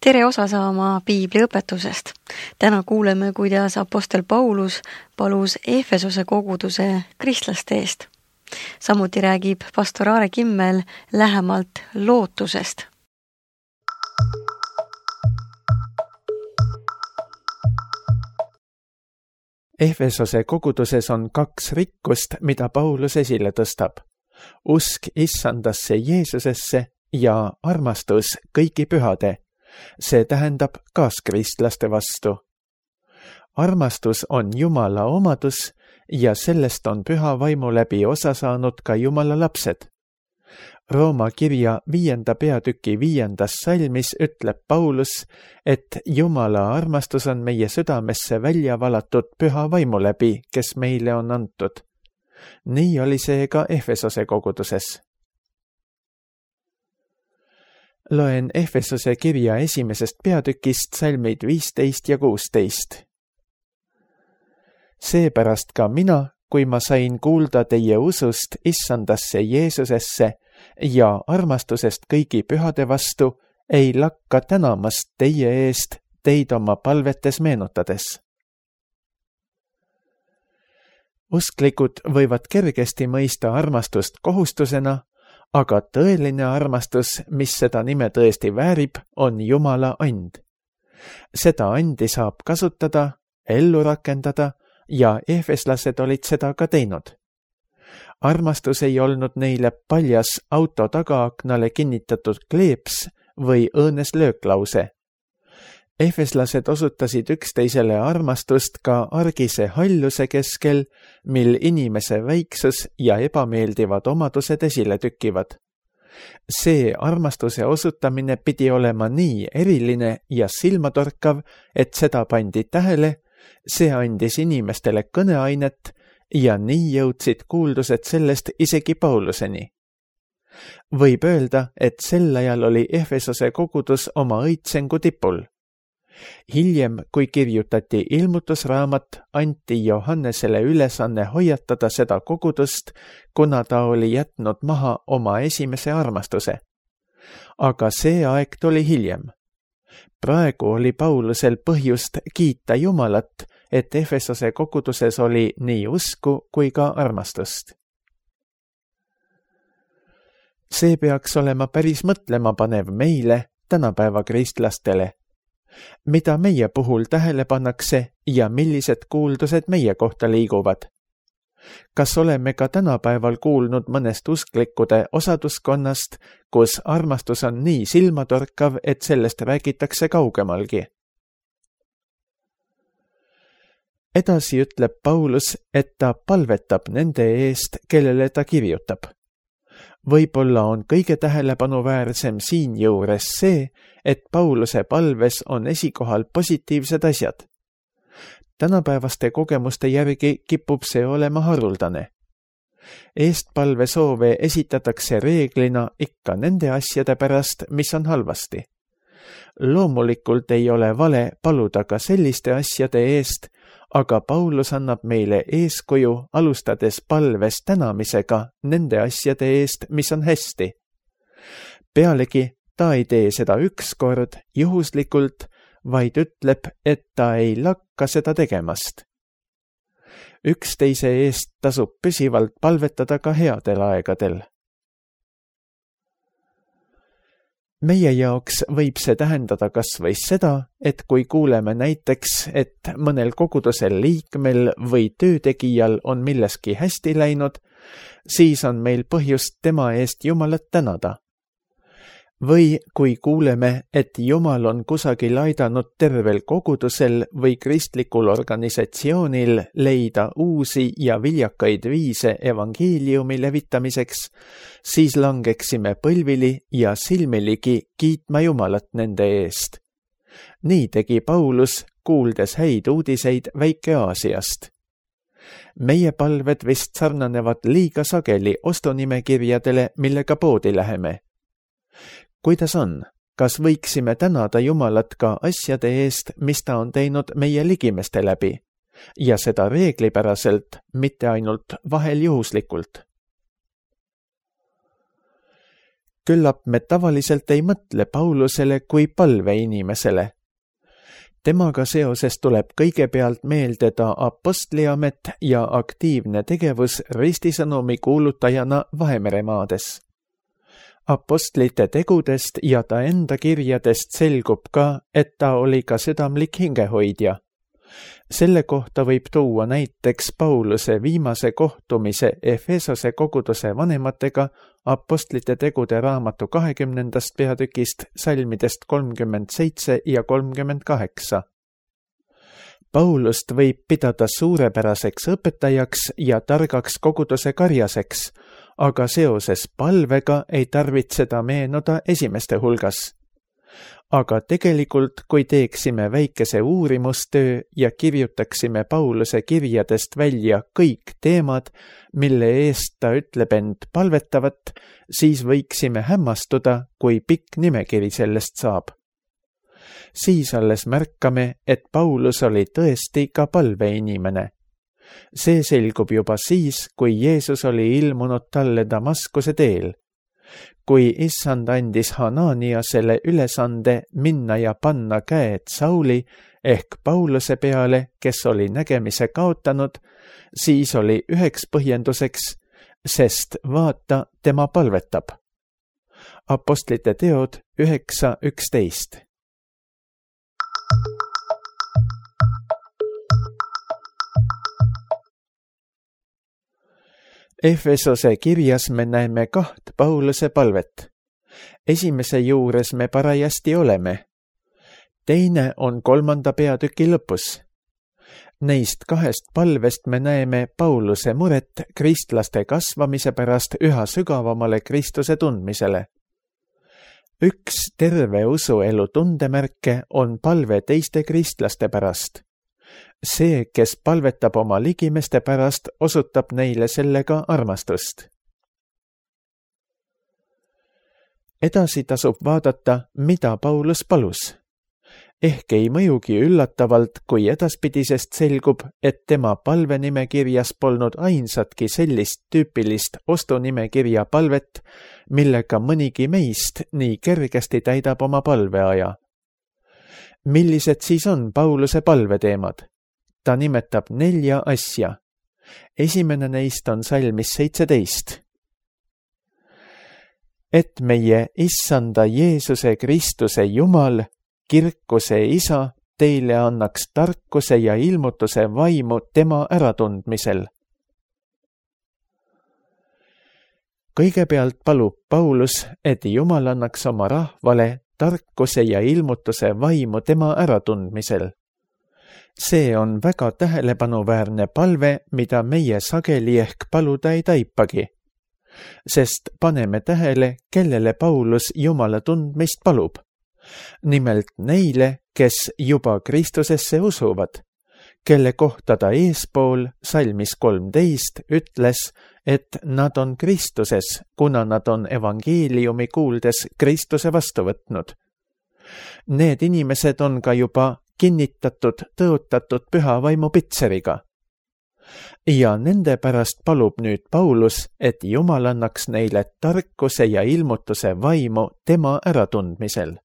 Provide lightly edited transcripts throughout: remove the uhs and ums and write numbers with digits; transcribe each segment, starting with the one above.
Tere osa saama piibliõpetusest. Täna kuuleme, kuidas apostel Paulus palus Efesose koguduse kristlaste eest. Samuti räägib pastor Aare Kimmel lähemalt lootusest. Efesose koguduses on 2 rikkust, mida Paulus esile tõstab. Usk issandasse Jeesusesse ja armastus kõigi pühade. See tähendab kaaskristlaste vastu. Armastus on Jumala omadus ja sellest on püha vaimu läbi osa saanud ka Jumala lapsed. Rooma kirja 5. peatüki 5. salmis ütleb Paulus, et Jumala armastus on meie südamesse välja valatud püha vaimu läbi, kes meile on antud. Nii oli see ka Efesose koguduses. Loen Efesose kirja 1. peatükist salmid 15 ja 16. Seepärast ka mina, kui ma sain kuulda teie usust issandasse Jeesusesse ja armastusest kõigi pühade vastu, ei lakka tänamast teie eest teid oma palvetes meenutades. Usklikud võivad kergesti mõista armastust kohustusena, aga tõeline armastus, mis seda nime tõesti väärib, on Jumala and. Seda andi saab kasutada, ellu rakendada ja efeslased olid seda ka teinud. Armastus ei olnud neile paljas auto tagaaknale kinnitatud kleeps või õõnes lööklause. Efeslased osutasid üksteisele armastust ka argise halluse keskel, mil inimese väiksus ja ebameeldivad omadused esile tükivad. See armastuse osutamine pidi olema nii eriline ja silmatorkav, et seda pandi tähele, see andis inimestele kõneainet ja nii jõudsid kuuldused sellest isegi Pauluseni. Võib öelda, et sel ajal oli Efesose kogudus oma õitsengu tipul. Hiljem, kui kirjutati ilmutusraamat, anti Johannesele ülesanne hoiatada seda kogudust, kuna ta oli jätnud maha oma esimese armastuse. Aga see aeg tuli hiljem. Praegu oli Paulusel põhjust kiita Jumalat, et Efesose koguduses oli nii usku kui ka armastust. See peaks olema päris mõtlema panev meile, tänapäeva kristlastele. Mida meie puhul tähele pannakse ja millised kuuldused meie kohta liiguvad? Kas oleme ka tänapäeval kuulnud mõnest usklikkude osaduskonnast, kus armastus on nii silmatorkav, et sellest räägitakse kaugemalgi? Edasi ütleb Paulus, et ta palvetab nende eest, kellele ta kirjutab. Võib-olla on kõige tähelepanuväärsem siinjuures see, et Pauluse palves on esikohal positiivsed asjad. Tänapäevaste kogemuste järgi kipub see olema haruldane. Eestpalve soove esitatakse reeglina ikka nende asjade pärast, mis on halvasti. Loomulikult ei ole vale paluda ka selliste asjade eest, aga Paulus annab meile eeskuju, alustades palves tänamisega nende asjade eest, mis on hästi. Pealegi ta ei tee seda ükskord juhuslikult, vaid ütleb, et ta ei lakka seda tegemast. Üksteise eest tasub püsivalt palvetada ka headel aegadel. Meie jaoks võib see tähendada kas või seda, et kui kuuleme näiteks, et mõnel kogudusel liikmel või töötegijal on milleski hästi läinud, siis on meil põhjust tema eest Jumalat tänada. Või kui kuuleme, et Jumal on kusagil aidanud tervel kogudusel või kristlikul organisatsioonil leida uusi ja viljakaid viise evangeeliumi levitamiseks, siis langeksime põlvili ja silmiligi kiitma Jumalat nende eest. Nii tegi Paulus, kuuldes häid uudiseid Väike-Aasiast. Meie palved vist sarnanevad liiga sageli ostunimekirjadele, millega poodi läheme. Kuidas on? Kas võiksime tänada Jumalat ka asjade eest, mis ta on teinud meie ligimeste läbi? Ja seda reeglipäraselt, mitte ainult vahel juhuslikult. küllap me tavaliselt ei mõtle Paulusele kui palveinimesele. Temaga seoses tuleb kõigepealt meelde ta apostliamet ja aktiivne tegevus ristisõnumi kuulutajana Vahemeremaades. Apostlite tegudest ja ta enda kirjadest selgub ka, et ta oli ka südamlik hingehoidja. Selle kohta võib tuua näiteks Pauluse viimase kohtumise Efesose koguduse vanematega Apostlite tegude raamatu 20. peatükist salmidest 37 ja 38. Paulust võib pidada suurepäraseks õpetajaks ja targaks koguduse karjaseks, aga seoses palvega ei tarvitse ta meenuda esimeste hulgas. Aga tegelikult, kui teeksime väikese uurimustöö ja kirjutaksime Pauluse kirjadest välja kõik teemad, mille eest ta ütleb end palvetavat, siis võiksime hämmastuda, kui pikk nimekiri sellest saab. Siis alles märkame, et Paulus oli tõesti ka palveinimene. See selgub juba siis, kui Jeesus oli ilmunud talle Damaskuse teel. Kui issand andis Hananiasele ülesande minna ja panna käed Sauli ehk Pauluse peale, kes oli nägemise kaotanud, siis oli üheks põhjenduseks, sest vaata, tema palvetab. Apostlite teod 9:11. Efesose kirjas me näeme 2 Pauluse palvet. Esimese juures me parajasti oleme. Teine on 3. peatüki lõpus. Neist 2 palvest me näeme Pauluse muret kristlaste kasvamise pärast üha sügavamale Kristuse tundmisele. Üks terve usuelu tundemärke on palve teiste kristlaste pärast. See, kes palvetab oma ligimeste pärast, osutab neile sellega armastust. Edasi tasub vaadata, mida Paulus palus. Ehk ei mõjugi üllatavalt, kui edaspidisest selgub, et tema palvenimekirjas polnud ainsatki sellist tüüpilist ostunimekirja palvet, millega mõnigi meist nii kergesti täidab oma palveaja. Millised siis on Pauluse palveteemad? Ta nimetab 4 asja. Esimene neist on salmis 17. Et meie issanda Jeesuse Kristuse Jumal, kirkuse Isa, teile annaks tarkuse ja ilmutuse vaimu tema äratundmisel. Kõigepealt palub Paulus, et Jumal annaks oma rahvale tarkuse ja ilmutuse vaimu tema äratundmisel. See on väga tähelepanuväärne palve, mida meie sageli ehk paluda ei taipagi. Sest paneme tähele, kellele Paulus Jumala tundmist palub. Nimelt neile, kes juba Kristusesse usuvad, kelle kohta ta eespool salmis 13 ütles, et nad on Kristuses, kuna nad on evangeeliumi kuuldes Kristuse vastu võtnud. Need inimesed on ka juba kinnitatud, tõotatud püha vaimu pitseriga. Ja nende pärast palub nüüd Paulus, et Jumal annaks neile tarkuse ja ilmutuse vaimu tema äratundmisel.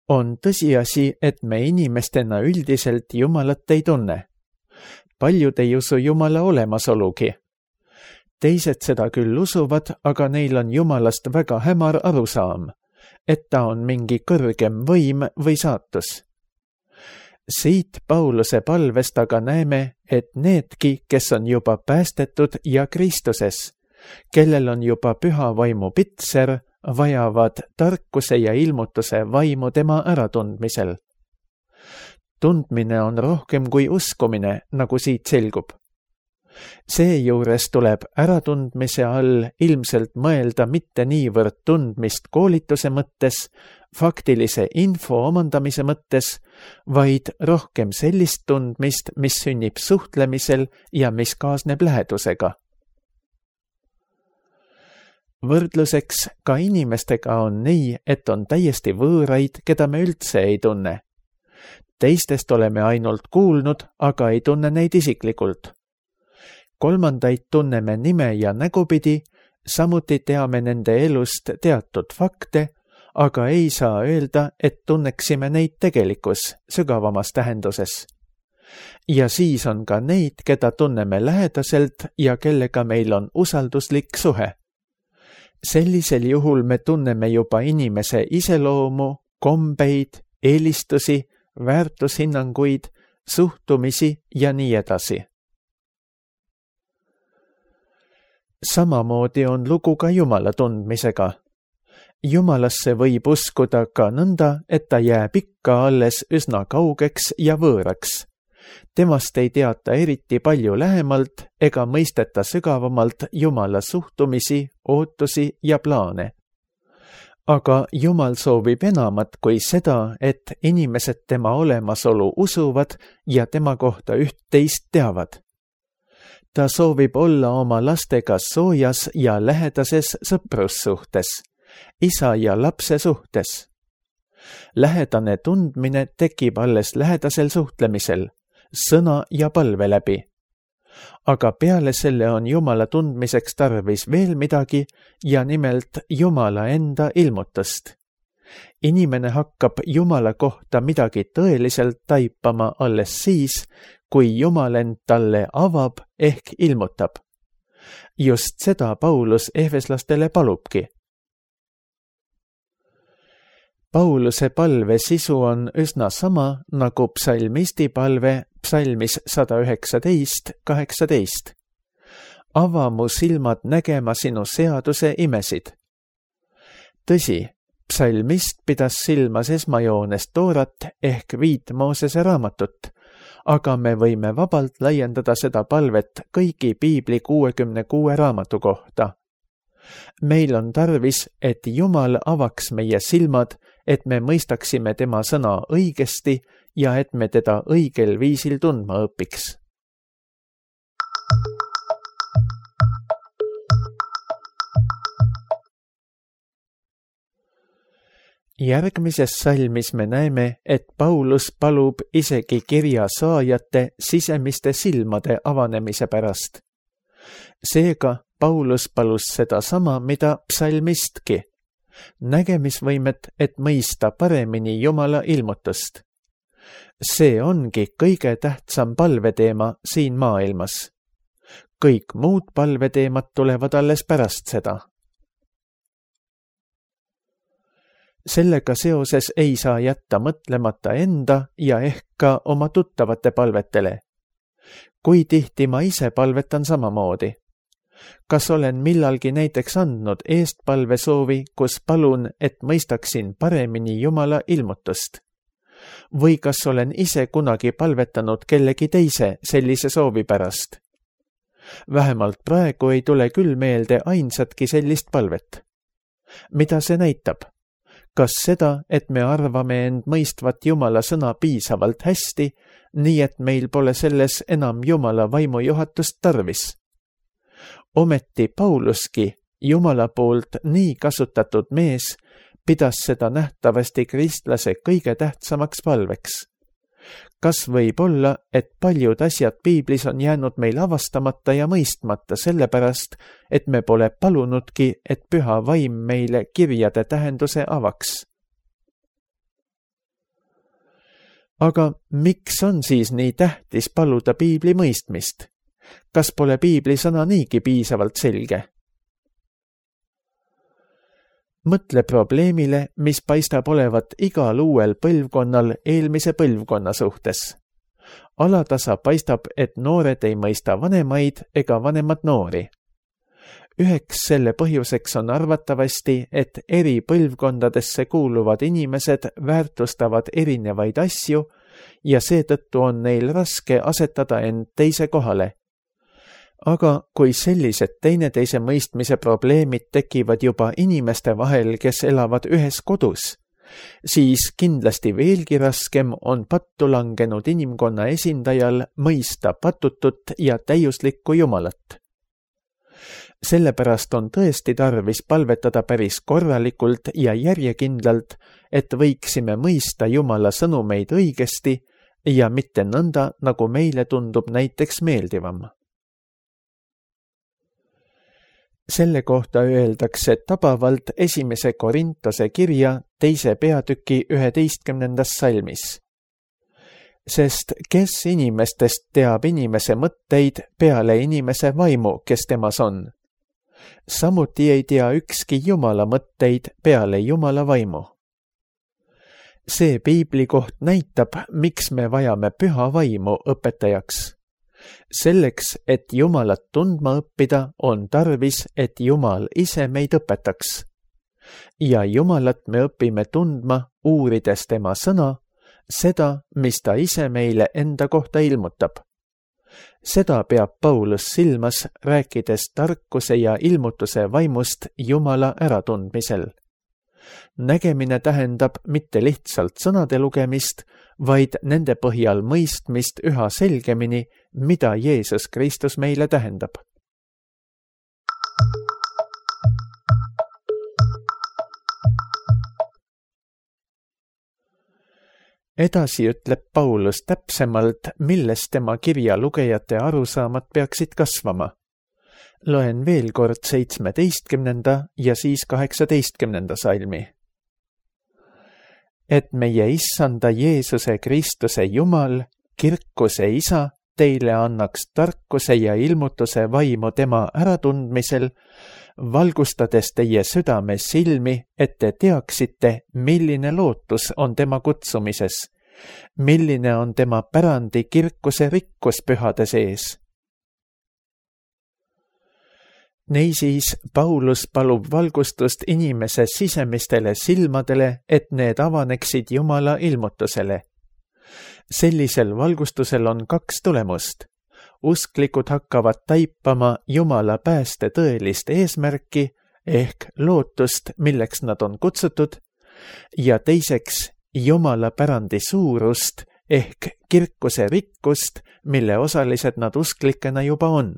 On tõsiasi, et me inimestena üldiselt Jumalat ei tunne. Paljud ei usu Jumala olemasolugi. Teised seda küll usuvad, aga neil on Jumalast väga hämar arusaam, et ta on mingi kõrgem võim või saatus. Siit Pauluse palvest aga näeme, et needki, kes on juba päästetud ja Kristuses, kellel on juba püha vaimu pitser, vajavad tarkuse ja ilmutuse vaimu tema äratundmisel. Tundmine on rohkem kui uskumine, nagu siit selgub. Seejuures tuleb äratundmise all ilmselt mõelda mitte niivõrd tundmist koolituse mõttes, faktilise info omandamise mõttes, vaid rohkem sellist tundmist, mis sünnib suhtlemisel ja mis kaasneb lähedusega. Võrdluseks ka inimestega on nii, et on täiesti võõraid, keda me üldse ei tunne. Teistest oleme ainult kuulnud, aga ei tunne neid isiklikult. Kolmandaid tunneme nime ja nägupidi, Samuti teame nende elust teatud fakte, aga ei saa öelda, et tunneksime neid tegelikus, sügavamas tähenduses. Ja siis on ka neid, keda tunneme lähedaselt ja kellega meil on usalduslik suhe. Sellisel juhul me tunneme juba inimese iseloomu, kombeid, eelistusi, väärtushinnanguid, suhtumisi ja nii edasi. Samamoodi on lugu ka Jumala tundmisega. Jumalasse võib uskuda ka nõnda, et ta jääb ikka alles üsna kaugeks ja võõraks. Temast ei teata eriti palju lähemalt ega mõisteta sügavamalt Jumala suhtumisi, ootusi ja plaane. Aga Jumal soovib enamat kui seda, et inimesed tema olemasolu usuvad ja tema kohta üht-teist teavad. Ta soovib olla oma lastega soojas ja lähedases sõprussuhtes, isa ja lapse suhtes. Lähedane tundmine tekib alles lähedasel suhtlemisel, sõna ja palve läbi. Aga peale selle on Jumala tundmiseks tarvis veel midagi ja nimelt Jumala enda ilmutust. Inimene hakkab Jumala kohta midagi tõeliselt taipama alles siis, kui Jumal end talle avab ehk ilmutab. Just seda Paulus efeslastele palubki. Pauluse palve sisu on üsna sama nagu psalmisti palve psalmis 119:18. Ava mu silmad nägema sinu seaduse imesid. Tõsi, psalmist pidas silmas esmajoones Toorat ehk 5 Moosese raamatut, aga me võime vabalt laiendada seda palvet kõigi piibli 66 raamatu kohta. Meil on tarvis, et Jumal avaks meie silmad, et me mõistaksime tema sõna õigesti ja et me teda õigel viisil tundma õpiks. Järgmises salmis me näeme, et Paulus palub isegi kirja saajate sisemiste silmade avanemise pärast. Seega Paulus palus seda sama, mida psalmistki. Nägemisvõimet, et mõista paremini Jumala ilmutust. See ongi kõige tähtsam palveteema siin maailmas. Kõik muud palveteemad tulevad alles pärast seda. Sellega seoses ei saa jätta mõtlemata enda ja ehk ka oma tuttavate palvetele. Kui tihti ma ise palvetan samamoodi? Kas olen millalgi näiteks andnud eestpalvesoovi, kus palun, et mõistaksin paremini Jumala ilmutust? Või kas olen ise kunagi palvetanud kellegi teise sellise soovi pärast? Vähemalt praegu ei tule küll meelde ainsatki sellist palvet. Mida see näitab? Kas seda, et me arvame end mõistvat Jumala sõna piisavalt hästi, nii et meil pole selles enam Jumala vaimujuhatust tarvis? Ometi Pauluski, Jumala poolt nii kasutatud mees, pidas seda nähtavasti kristlase kõige tähtsamaks palveks. Kas võib olla, et paljud asjad piiblis on jäänud meil avastamata ja mõistmata sellepärast, et me pole palunudki, et püha vaim meile kirjade tähenduse avaks? Aga miks on siis nii tähtis paluda piibli mõistmist? Kas pole piibli sõna niigi piisavalt selge? Mõtle probleemile, mis paistab olevat igal uuel põlvkonnal eelmise põlvkonna suhtes. Alatasa paistab, et noored ei mõista vanemaid ega vanemad noori. Üheks selle põhjuseks on arvatavasti, et eri põlvkondadesse kuuluvad inimesed väärtustavad erinevaid asju ja seetõttu on neil raske asetada end teise kohale. Aga kui sellised teineteise mõistmise probleemid tekivad juba inimeste vahel, kes elavad ühes kodus, siis kindlasti veelgi raskem on pattu langenud inimkonna esindajal mõista patutut ja täiuslikku Jumalat. Sellepärast on tõesti tarvis palvetada päris korralikult ja järjekindlalt, et võiksime mõista Jumala sõnumeid õigesti ja mitte nõnda, nagu meile tundub näiteks meeldivam. Selle kohta öeldakse tabavalt 1. Korintuse kirja 2. peatüki 11. salmis. Sest kes inimestest teab inimese mõtteid peale inimese vaimu, kes temas on? Samuti ei tea ükski Jumala mõtteid peale Jumala vaimu. See piiblikoht näitab, miks me vajame püha vaimu õpetajaks. Selleks, et Jumalat tundma õppida, on tarvis, et Jumal ise meid õpetaks. Ja Jumalat me õpime tundma, uurides tema sõna, seda, mis ta ise meile enda kohta ilmutab. Seda peab Paulus silmas, rääkides tarkuse ja ilmutuse vaimust Jumala äratundmisel. Nägemine tähendab mitte lihtsalt sõnade lugemist, vaid nende põhjal mõistmist üha selgemini, mida Jeesus Kristus meile tähendab. Edasi ütleb Paulus täpsemalt, milles tema kirja lugejate arusaamad peaksid kasvama. Loen veel kord 17. ja siis 18. salmi. Et meie issanda Jeesuse Kristuse Jumal, kirkuse Isa, teile annaks tarkuse ja ilmutuse vaimu tema äratundmisel, valgustades teie südame silmi, et te teaksite, milline lootus on tema kutsumises, milline on tema pärandi kirkuse rikkus pühade sees. Niisiis, Paulus palub valgustust inimese sisemistele silmadele, et need avaneksid Jumala ilmutusele. Sellisel valgustusel on 2 tulemust. Usklikud hakkavad taipama Jumala pääste tõelist eesmärki ehk lootust, milleks nad on kutsutud, ja teiseks Jumala pärandi suurust ehk kirkuse rikkust, mille osalised nad usklikena juba on.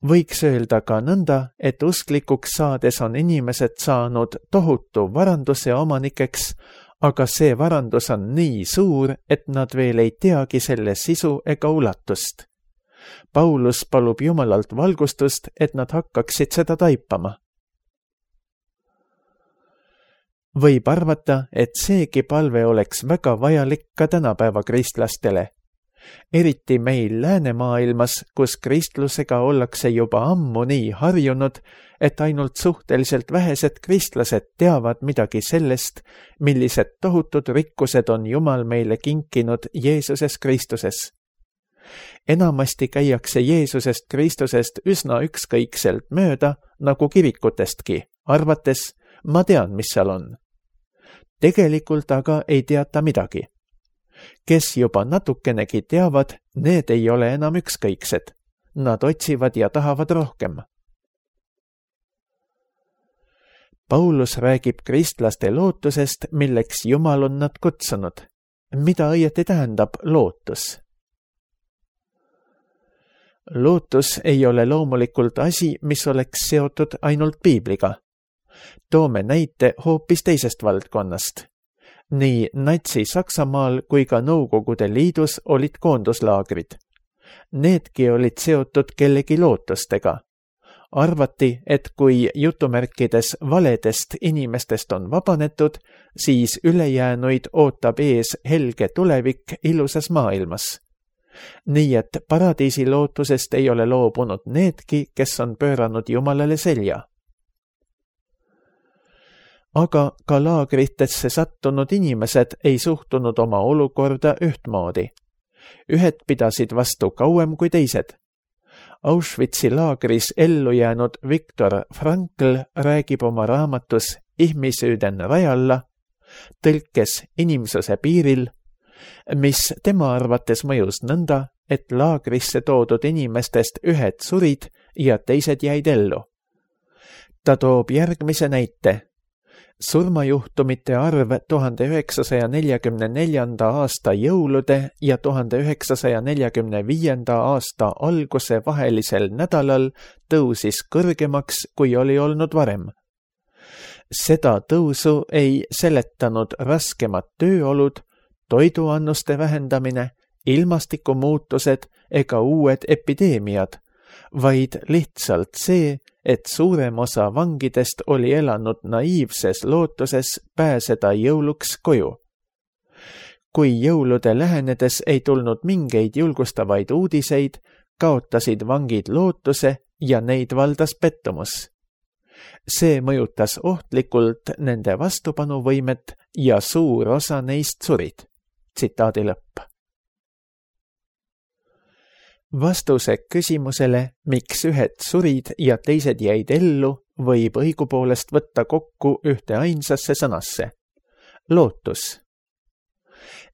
Võiks öelda ka nõnda, et usklikuks saades on inimesed saanud tohutu varanduse omanikeks, aga see varandus on nii suur, et nad veel ei teagi selle sisu ega ulatust. Paulus palub Jumalalt valgustust, et nad hakkaksid seda taipama. Võib arvata, et seegi palve oleks väga vajalik ka tänapäeva kristlastele. Eriti meil läänemaailmas, kus kristlusega ollakse juba ammu nii harjunud, et ainult suhteliselt vähesed kristlased teavad midagi sellest, millised tohutud rikkused on Jumal meile kinkinud Jeesuses Kristuses. Enamasti käiakse Jeesusest Kristusest üsna ükskõikselt mööda, nagu kirikutestki, arvates, ma tean, mis seal on. Tegelikult aga ei teata midagi. Kes juba natukenegi teavad, need ei ole enam ükskõiksed. Nad otsivad ja tahavad rohkem. Paulus räägib kristlaste lootusest, milleks Jumal on nad kutsunud. Mida õieti tähendab lootus? Lootus ei ole loomulikult asi, mis oleks seotud ainult piibliga. Toome näite hoopis teisest valdkonnast. Nii Natsi-Saksamaal kui ka Nõukogude Liidus olid koonduslaagrid. Needki olid seotud kellegi lootustega. Arvati, et kui jutumärkides valedest inimestest on vabanetud, siis ülejäänuid ootab ees helge tulevik ilusas maailmas. Nii et paradiisi lootusest ei ole loobunud needki, kes on pööranud Jumalale selja. Aga ka laagritesse sattunud inimesed ei suhtunud oma olukorda ühtmoodi. Ühed pidasid vastu kauem kui teised. Auschwitzi laagris ellu jäänud Viktor Frankl räägib oma raamatus Ihmisyyden rajalla, tõlkes inimsuse piiril, mis tema arvates mõjus nõnda, et laagrisse toodud inimestest ühed surid ja teised jäid ellu. Ta toob järgmise näite. Surmajuhtumite arv 1944. aasta jõulude ja 1945. aasta alguse vahelisel nädalal tõusis kõrgemaks, kui oli olnud varem. Seda tõusu ei seletanud raskemad tööolud, toiduannuste vähendamine, ilmastikumuutused ega uued epideemiad, vaid lihtsalt see, et suurem osa vangidest oli elanud naiivses lootuses pääseda jõuluks koju. Kui jõulude lähenedes ei tulnud mingeid julgustavaid uudiseid, kaotasid vangid lootuse ja neid valdas pettumus. See mõjutas ohtlikult nende vastupanuvõimet ja suur osa neist surid. Tsitaadi lõpp. Vastuse küsimusele, miks ühed surid ja teised jäid ellu, võib õigupoolest võtta kokku ühte ainsasse sõnasse. Lootus.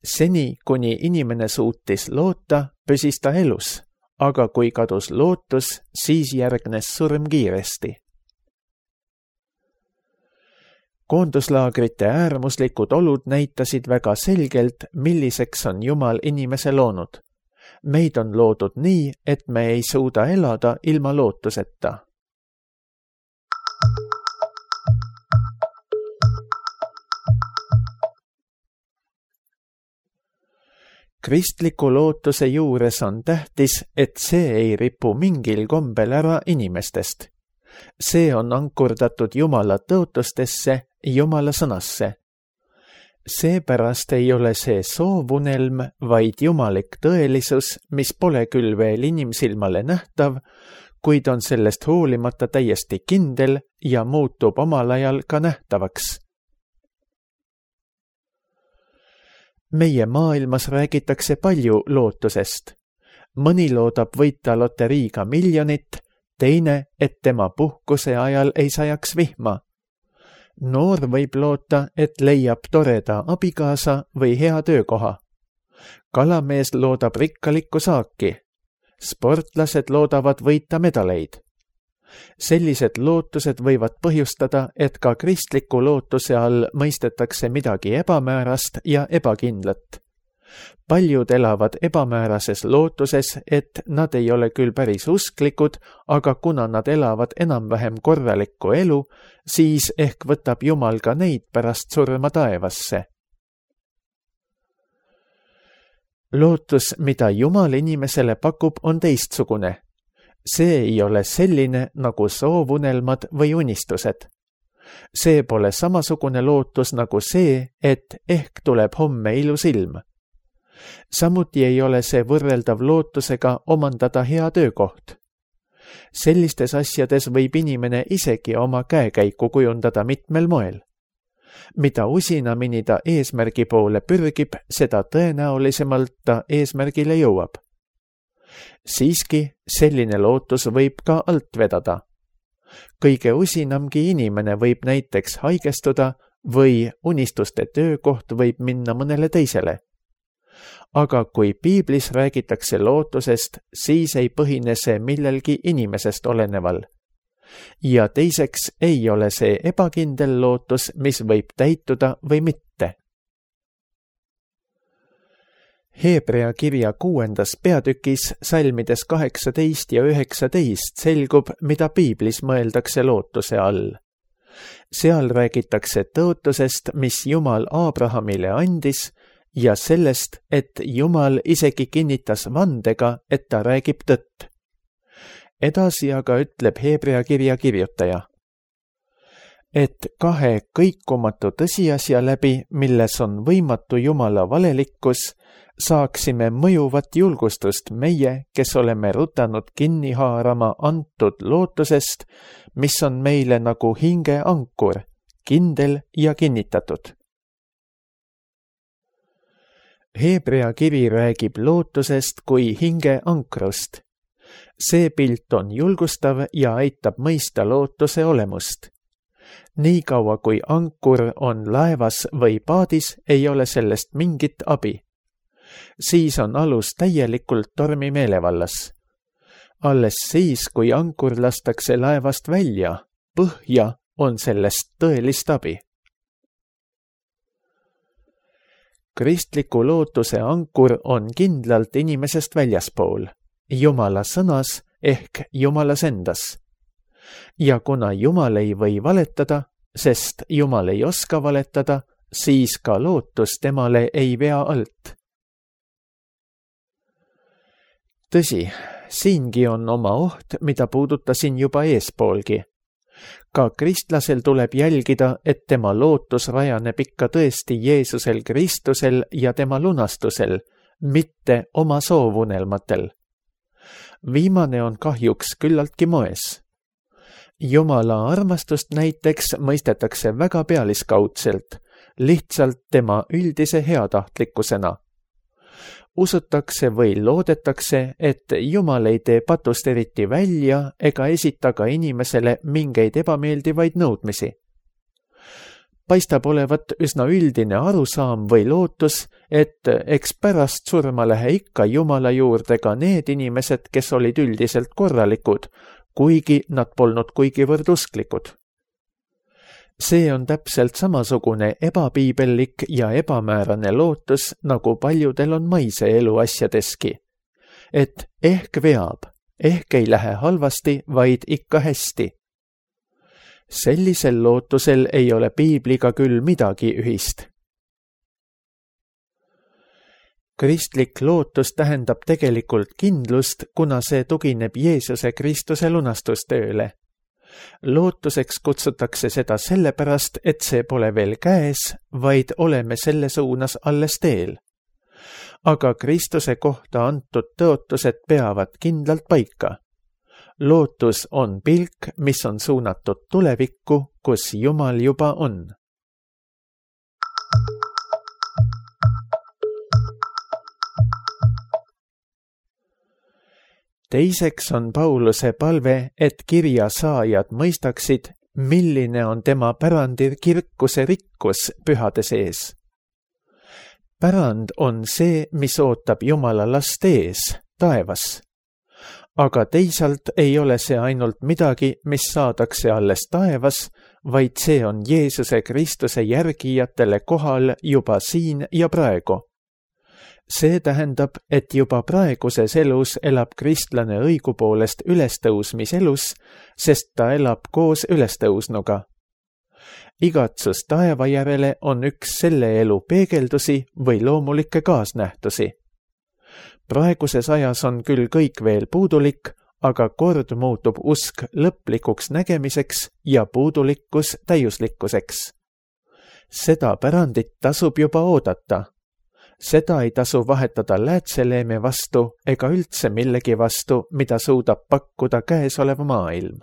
Seni, kuni inimene suutis loota, püsis ta elus, aga kui kadus lootus, siis järgnes surm kiiresti. Koonduslaagrite äärmuslikud olud näitasid väga selgelt, milliseks on Jumal inimese loonud. Meid on loodud nii, et me ei suuda elada ilma lootuseta. Kristliku lootuse juures on tähtis, et see ei ripu mingil kombel ära inimestest. See on ankurdatud Jumala tõotustesse, Jumala sõnasse. Seepärast ei ole see soovunelm, vaid jumalik tõelisus, mis pole küll veel inimsilmale nähtav, kuid on sellest hoolimata täiesti kindel ja muutub omal ajal ka nähtavaks. Meie maailmas räägitakse palju lootusest. Mõni loodab võita loteriiga miljonit, teine, et tema puhkuse ajal ei sajaks vihma. Noor võib loota, et leiab toreda abikaasa või hea töökoha. Kalamees loodab rikkalikku saaki. Sportlased loodavad võita medaleid. Sellised lootused võivad põhjustada, et ka kristliku lootuse all mõistetakse midagi ebamäärast ja ebakindlat. Paljud elavad ebamäärases lootuses, et nad ei ole küll päris usklikud, aga kuna nad elavad enam-vähem korralikku elu, siis ehk võtab Jumal ka neid pärast surma taevasse. Lootus, mida Jumal inimesele pakub, on teistsugune. See ei ole selline nagu soovunelmad või unistused. See pole samasugune lootus nagu see, et ehk tuleb homme ilus ilm. Samuti ei ole see võrreldav lootusega omandada hea töökoht. Sellistes asjades võib inimene isegi oma käekäiku kujundada mitmel moel. Mida usinamini ta eesmärgi poole pürgib, seda tõenäolisemalt ta eesmärgile jõuab. Siiski, selline lootus võib ka alt vedada. Kõige usinamgi inimene võib näiteks haigestuda või unistuste töökoht võib minna mõnele teisele. Aga kui piiblis räägitakse lootusest, siis ei põhine see millelgi inimesest oleneval. Ja teiseks ei ole see ebakindel lootus, mis võib täituda või mitte. Heebrea kirja 6. peatükis salmides 18 ja 19 selgub, mida piiblis mõeldakse lootuse all. Seal räägitakse tõotusest, mis Jumal Abrahamile andis, ja sellest, et Jumal isegi kinnitas vandega, et ta räägib tõtt. Edasi aga ütleb Heebrea kirja kirjutaja, et kahe kõikumatu tõsiasja läbi, milles on võimatu Jumala valelikkus, saaksime mõjuvat julgustust meie, kes oleme rutanud kinni haarama antud lootusest, mis on meile nagu hinge ankur, kindel ja kinnitatud. Heebrea kiri räägib lootusest kui hinge ankrust. See pilt on julgustav ja aitab mõista lootuse olemust. Nii kaua kui ankur on laevas või paadis, ei ole sellest mingit abi. Siis on alus täielikult tormi meelevallas. Alles siis, kui ankur lastakse laevast välja, põhja, on sellest tõelist abi. Kristliku lootuse ankur on kindlalt inimesest väljaspool, Jumala sõnas ehk Jumalas endas. Ja kuna Jumal ei või valetada, sest Jumal ei oska valetada, siis ka lootus temale ei vea alt. Tõsi, siingi on oma oht, mida puudutasin juba eespoolgi. Ka kristlasel tuleb jälgida, et tema lootus rajaneb ikka tõesti Jeesusel Kristusel ja tema lunastusel, mitte oma soovunelmatel. Viimane on kahjuks küllaltki moes. Jumala armastust näiteks mõistetakse väga pealiskaudselt, lihtsalt tema üldise heatahtlikkusena. Usutakse või loodetakse, et Jumal ei tee patust eriti välja ega esita ka inimesele mingeid ebameeldivaid nõudmisi. Paistab olevat üsna üldine arusaam või lootus, et eks pärast surma lähe ikka Jumala juurde ka need inimesed, kes olid üldiselt korralikud, kuigi nad polnud kuigivõrd usklikud. See on täpselt samasugune ebapiibellik ja ebamäärane lootus, nagu paljudel on maise elu asjadeski. Et ehk veab, ehk ei lähe halvasti, vaid ikka hästi. Sellisel lootusel ei ole piibliga küll midagi ühist. Kristlik lootus tähendab tegelikult kindlust, kuna see tugineb Jeesuse Kristuse lunastustööle. Lootuseks kutsutakse seda sellepärast, et see pole veel käes, vaid oleme selle suunas alles teel. Aga Kristuse kohta antud tõotused peavad kindlalt paika. Lootus on pilk, mis on suunatud tulevikku, kus Jumal juba on. Teiseks on Pauluse palve, et kirja saajad mõistaksid, milline on tema pärandi kirkuse rikkus pühade sees. Pärand on see, mis ootab Jumala last ees, taevas. Aga teisalt ei ole see ainult midagi, mis saadakse alles taevas, vaid see on Jeesuse Kristuse järgijatele kohal juba siin ja praegu. See tähendab, et juba praeguses elus elab kristlane õigupoolest ülestõusmiselus, sest ta elab koos ülestõusnuga. Igatsus taeva järele on üks selle elu peegeldusi või loomulikke kaasnähtusi. Praeguses ajas on küll kõik veel puudulik, aga kord muutub usk lõplikuks nägemiseks ja puudulikkus täiuslikkuseks. Seda pärandit tasub juba oodata. Seda ei tasu vahetada läätseleeme vastu ega üldse millegi vastu, mida suudab pakkuda käesolev maailm.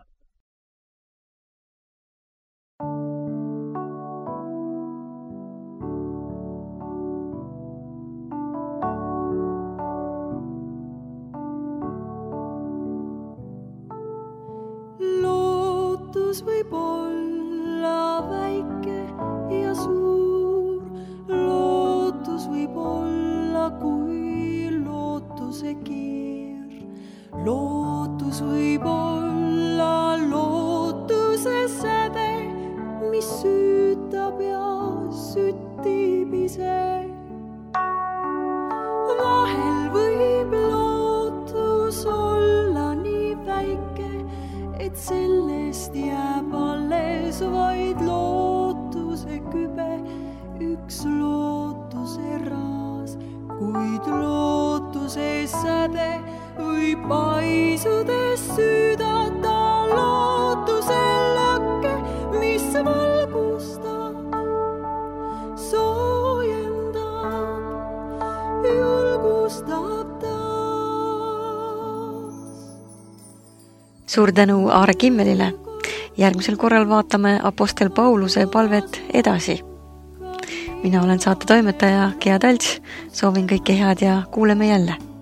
Lootus võib olla väike ja suur, lootus võib olla kui lootuse keer. Lootus võib olla lootuse säde, mis süütab ja süttib ise. Vahel võib lootus olla nii väike, et sellest jääb alles vaid lootuse kübe, üks lootuse raas, kuid lootuse säde võib paisudes süüdata lootuse lakke, mis valgustab, soojendab, julgustab taas. Suur tänu Aare Kimmelile. Järgmisel korral vaatame Apostel Pauluse palvet edasi. Mina olen saate toimetaja Gea Talts, soovin kõike head ja kuuleme jälle.